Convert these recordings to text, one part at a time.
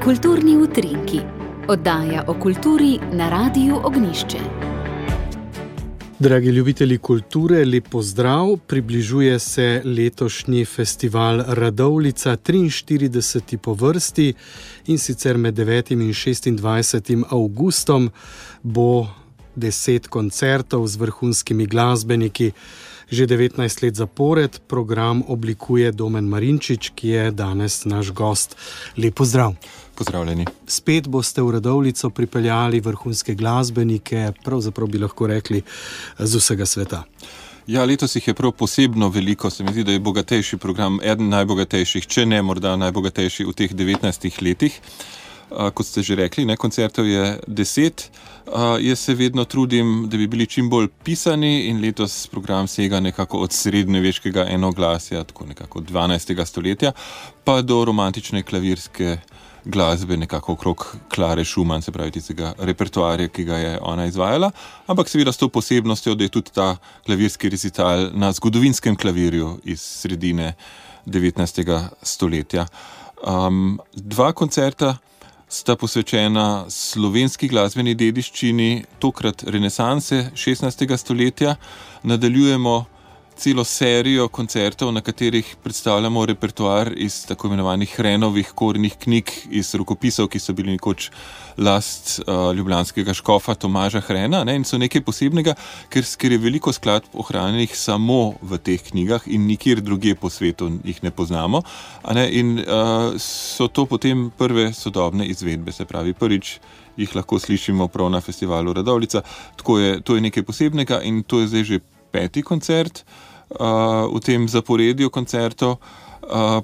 Kulturni utrinki. Oddaja o kulturi na Radiu Ognjišče. Dragi ljubitelji kulture, lep pozdrav. Približuje se letošnji festival Radovljica, 43. po vrsti, in sicer med 9. in 26. avgustom bo 10 koncertov z vrhunskimi glasbeniki. Že 19 let zapored program oblikuje Domen Marinčič, ki je danes naš gost. Lep pozdrav. Pozdravljeni. Spet boste v Radovljico pripeljali vrhunske glasbenike, pravzaprav bi lahko rekli z vsega sveta. Ja, letos jih je prav posebno veliko. Se mi zdi, da je bogatejši program, eden najbogatejših, če ne morda najbogatejši v teh 19 letih. Kot ste že rekli, koncertov je 10. Jaz se vedno trudim, da bi bili čim bolj pisani, in letos program sega nekako od srednjeveškega enoglasja, tako nekako od 12. stoletja, pa do romantične klavirske glasbe, nekako okrog Klare Schumann, se pravi tistega repertoarja, ki ga je ona izvajala, ampak seveda s to posebnostjo, da je tudi ta klavirski recital na zgodovinskem klavirju iz sredine 19. stoletja. Dva koncerta sta posvečena slovenski glasbeni dediščini, tokrat renesanse 16. stoletja. Nadaljujemo celo serijo koncertov, na katerih predstavljamo repertoar iz tako imenovanih Hrenovih kornih knjig, iz rokopisov, ki so bili nekoč last ljubljanskega škofa Tomaža Hrena, in so nekaj posebnega, ker je veliko skladb ohranjenih samo v teh knjigah in nikjer drugje po svetu jih ne poznamo. In so to potem prve sodobne izvedbe, se pravi prvič jih lahko slišimo prav na festivalu Radovljica. To je nekaj posebnega in to je zdaj že 5. koncert v tem zaporedju koncertov.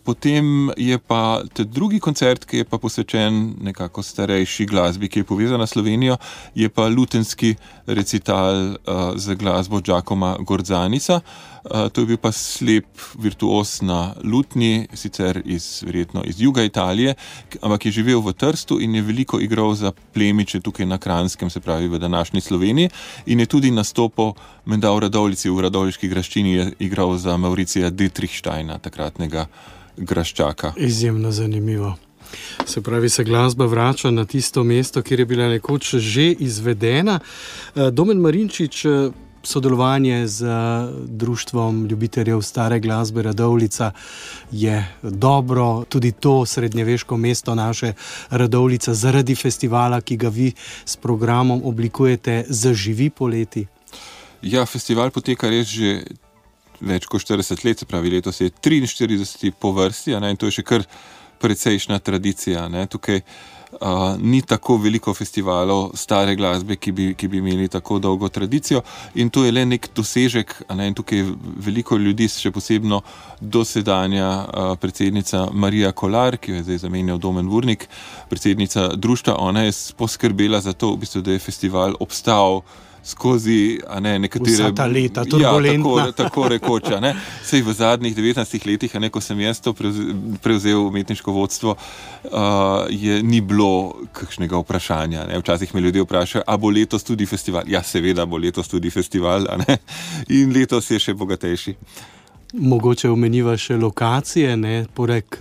Potem je pa drugi koncert, ki je pa posvečen nekako starejši glasbi, ki je povezana s Slovenijo, je pa lutenski recital z glasbo Giacoma Gordzanisa. To je bil pa slep virtuos na lutnji, sicer verjetno iz juga Italije, ampak je živel v Trstu in je veliko igral za plemiče tukaj na Kranjskem, se pravi v današnji Sloveniji, in je tudi nastopal menda v Radovljici, v radovljiški graščini je igral za Mauricija Dietrichsteina, takratnega graščaka. Izjemno zanimivo. Se pravi, se glasba vrača na tisto mesto, kjer je bila nekoč že izvedena. Domen Marinčič, sodelovanje z Društvom ljubiteljev stare glasbe Radovljica je dobro. Tudi to srednjeveško mesto naše Radovljica zaradi festivala, ki ga vi s programom oblikujete, zaživi poleti. Ja, festival poteka res že več kot 40 let, se pravi letos je 43. po vrsti, in to je še kar precejšnja tradicija. Tukaj ni tako veliko festivalov stare glasbe, ki bi imeli tako dolgo tradicijo, in to je le nek dosežek. In tukaj je veliko ljudi, še posebno dosedanja predsednica Marija Kolar, ki jo je zdaj zamenjal Domen Vurnik, predsednica društva. Ona je poskrbela za to, v bistvu, da je festival obstal skozi nekatere... Vsa ta leta, turbulentna. Ja, tako rekoč. Sej v zadnjih 19 letih, ko sem jaz to prevzel umetniško vodstvo, ni bilo kakšnega vprašanja. Včasih me ljudje vprašajo, a bo letos tudi festival? Ja, seveda bo letos tudi festival, in letos je še bogatejši. Mogoče omeniva še lokacije, poleg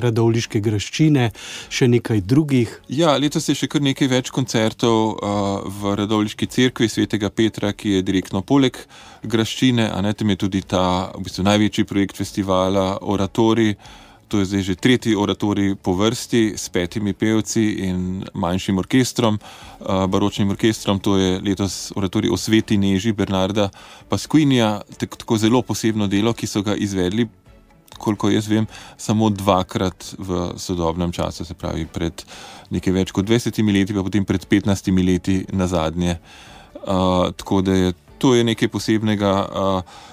radovljiške graščine, še nekaj drugih. Ja, letos je še kar nekaj več koncertov v radovljiški cerkvi svetega Petra, ki je direktno poleg graščine. Tam je tudi ta v bistvu največji projekt festivala, oratorij. To je zdaj že 3. oratorij po vrsti s 5 pevci in manjšim orkestrom, baročnim orkestrom. To je letos oratorij o Sveti Neži Bernarda Pasquinija, tako zelo posebno delo, ki so ga izvedli, koliko jaz vem, samo 2-krat v sodobnem času, se pravi pred nekaj več kot 20 leti, pa potem pred 15 leti nazadnje. Tako da to je nekaj posebnega,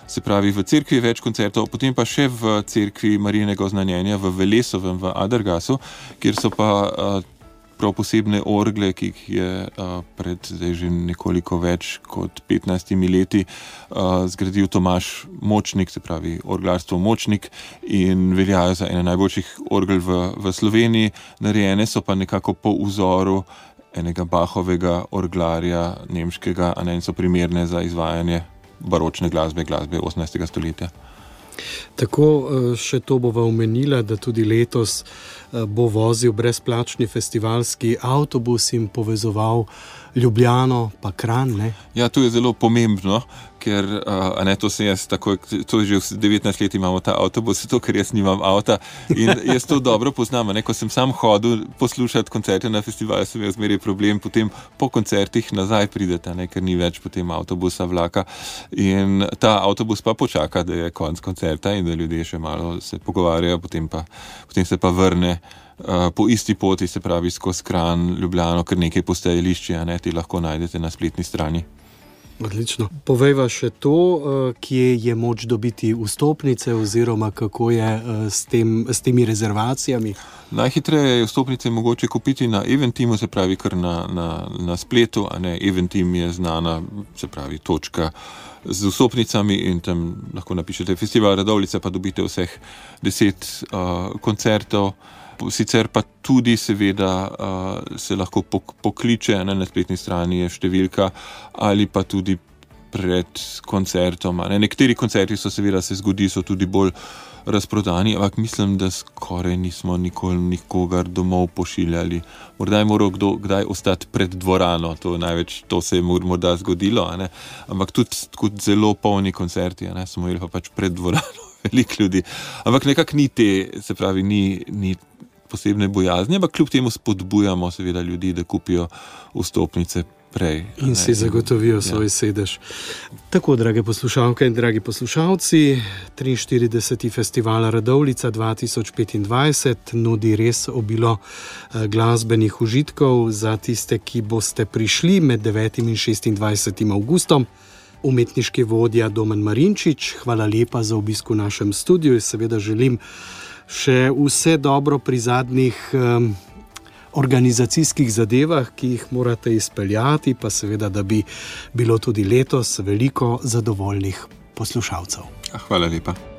se pravi v cerkvi več koncertov, potem pa še v cerkvi Marijinega oznanjenja v Velesovem, v Adergasu, kjer so pa prav posebne orgle, ki jih je pred zdaj že nekoliko več kot 15 leti zgradil Tomaž Močnik, se pravi orglarstvo Močnik, in veljajo za ene najboljših orgel v Sloveniji. Narejene so pa nekako po vzoru enega Bachovega orglarja nemškega, in so primerne za izvajanje baročne glasbe 18. stoletja. Tako, še to bova omenila, da tudi letos bo vozil brezplačni festivalski avtobus in povezoval Ljubljano pa Kranj, ne? Ja, to je zelo pomembno, ker to se jaz takoj, to je že 19 let imamo ta avtobus, to, ker jaz nimam avta in jaz to dobro poznam, ne? Ko sem sam hodil poslušati koncerte na festivalu, sem jaz zmeraj problem, potem po koncertih nazaj pridete, ne? Ker ni več potem avtobusa, vlaka in ta avtobus pa počaka, da je konec koncerta in da ljudje še malo se pogovarjajo, potem se pa vrne po isti poti, se pravi skozi Kranj, Ljubljano, ker nekaj postajališč, ti lahko najdete na spletni strani. Odlično. Povejva še to, kje je moč dobiti vstopnice oziroma kako je s temi rezervacijami? Najhitreje je vstopnice mogoče kupiti na Eventeamu, se pravi kar na spletu, Eventeam je znana, se pravi točka z vstopnicami in tam lahko napišete Festival Radovljica, pa dobite vseh 10 koncertov. Sicer pa tudi seveda se lahko pokliče, na spletni strani je številka ali pa tudi pred koncertom. Nekateri koncerti se zgodi, so tudi bolj razprodani, ampak mislim, da skoraj nismo nikoli nikogar domov pošiljali. Morda je moral kdo kdaj ostati pred dvorano, to se je morda zgodilo, ampak tudi zelo polni koncerti, smo imeli pa pač pred dvorano veliko ljudi. Ampak nekako ni posebne bojazni, ampak kljub temu spodbujamo seveda ljudi, da kupijo vstopnice prej. In si zagotovijo svoj sedež. Tako, drage poslušalke in dragi poslušalci, 43. Festival Radovljica 2025 nudi res obilo glasbenih užitkov za tiste, ki boste prišli med 9. in 26. avgustom. Umetniški vodja Domen Marinčič, hvala lepa za obisk v našem studiu. Seveda želim še vse dobro pri zadnjih organizacijskih zadevah, ki jih morate izpeljati, pa seveda, da bi bilo tudi letos veliko zadovoljnih poslušalcev. Hvala lepa.